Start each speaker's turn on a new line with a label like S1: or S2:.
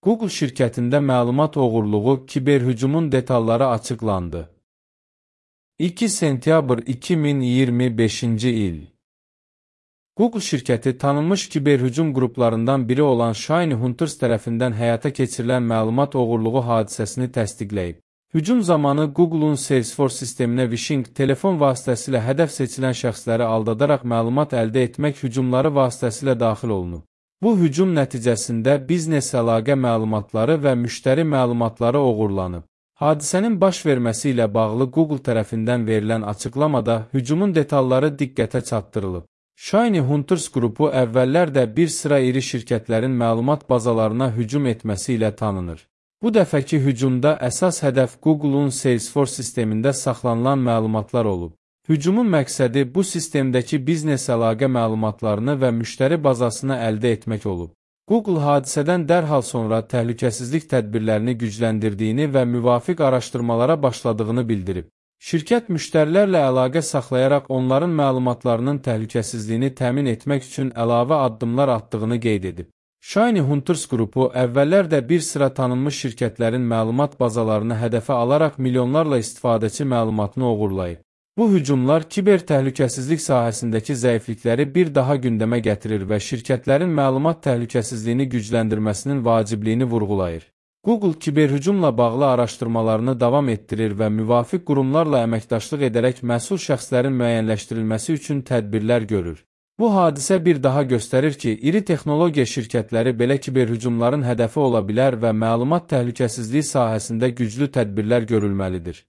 S1: Google şirkətində məlumat oğurluğu, kiberhücumun detalları açıqlandı. 2 sentyabr 2025-ci il. Google şirkəti tanınmış kiberhücum qruplarından biri olan Shiny Hunters tərəfindən həyata keçirilən məlumat oğurluğu hadisəsini təsdiqləyib. Hücum zamanı Google'un Salesforce sisteminə phishing telefon vasitəsilə hədəf seçilən şəxsləri aldadaraq məlumat əldə etmək hücumları vasitəsilə daxil olunub. Bu hücum nəticəsində biznes əlaqə məlumatları və müştəri məlumatları oğurlanıb. Hadisənin baş verməsi ilə bağlı Google tərəfindən verilən açıqlamada hücumun detalları diqqətə çatdırılıb. Shiny Hunters qrupu əvvəllər də bir sıra iri şirkətlərin məlumat bazalarına hücum etməsi ilə tanınır. Bu dəfəki hücumda əsas hədəf Google'un Salesforce sistemində saxlanılan məlumatlar olub. Hücumun məqsədi bu sistemdəki biznes əlaqə məlumatlarını və müştəri bazasını əldə etmək olub. Google hadisədən dərhal sonra təhlükəsizlik tədbirlərini gücləndirdiyini və müvafiq araşdırmalara başladığını bildirib. Şirkət müştərilərlə əlaqə saxlayaraq onların məlumatlarının təhlükəsizliyini təmin etmək üçün əlavə addımlar atdığını qeyd edib. Shiny Hunters qrupu əvvəllər də bir sıra tanınmış şirkətlərin məlumat bazalarını hədəfə alaraq milyonlarla istifadəçi məlumatını oğurlayıb. Bu hücumlar kiber təhlükəsizlik sahəsindəki zəiflikləri bir daha gündəmə gətirir və şirkətlərin məlumat təhlükəsizliyini gücləndirməsinin vacibliyini vurğulayır. Google kiberhücumla bağlı araşdırmalarını davam etdirir və müvafiq qurumlarla əməkdaşlıq edərək məsul şəxslərin müəyyənləşdirilməsi üçün tədbirlər görür. Bu hadisə bir daha göstərir ki, iri texnologiya şirkətləri belə kiberhücumların hədəfi ola bilər və məlumat təhlükəsizliyi sahəsində güclü tədbirlər görülməlidir.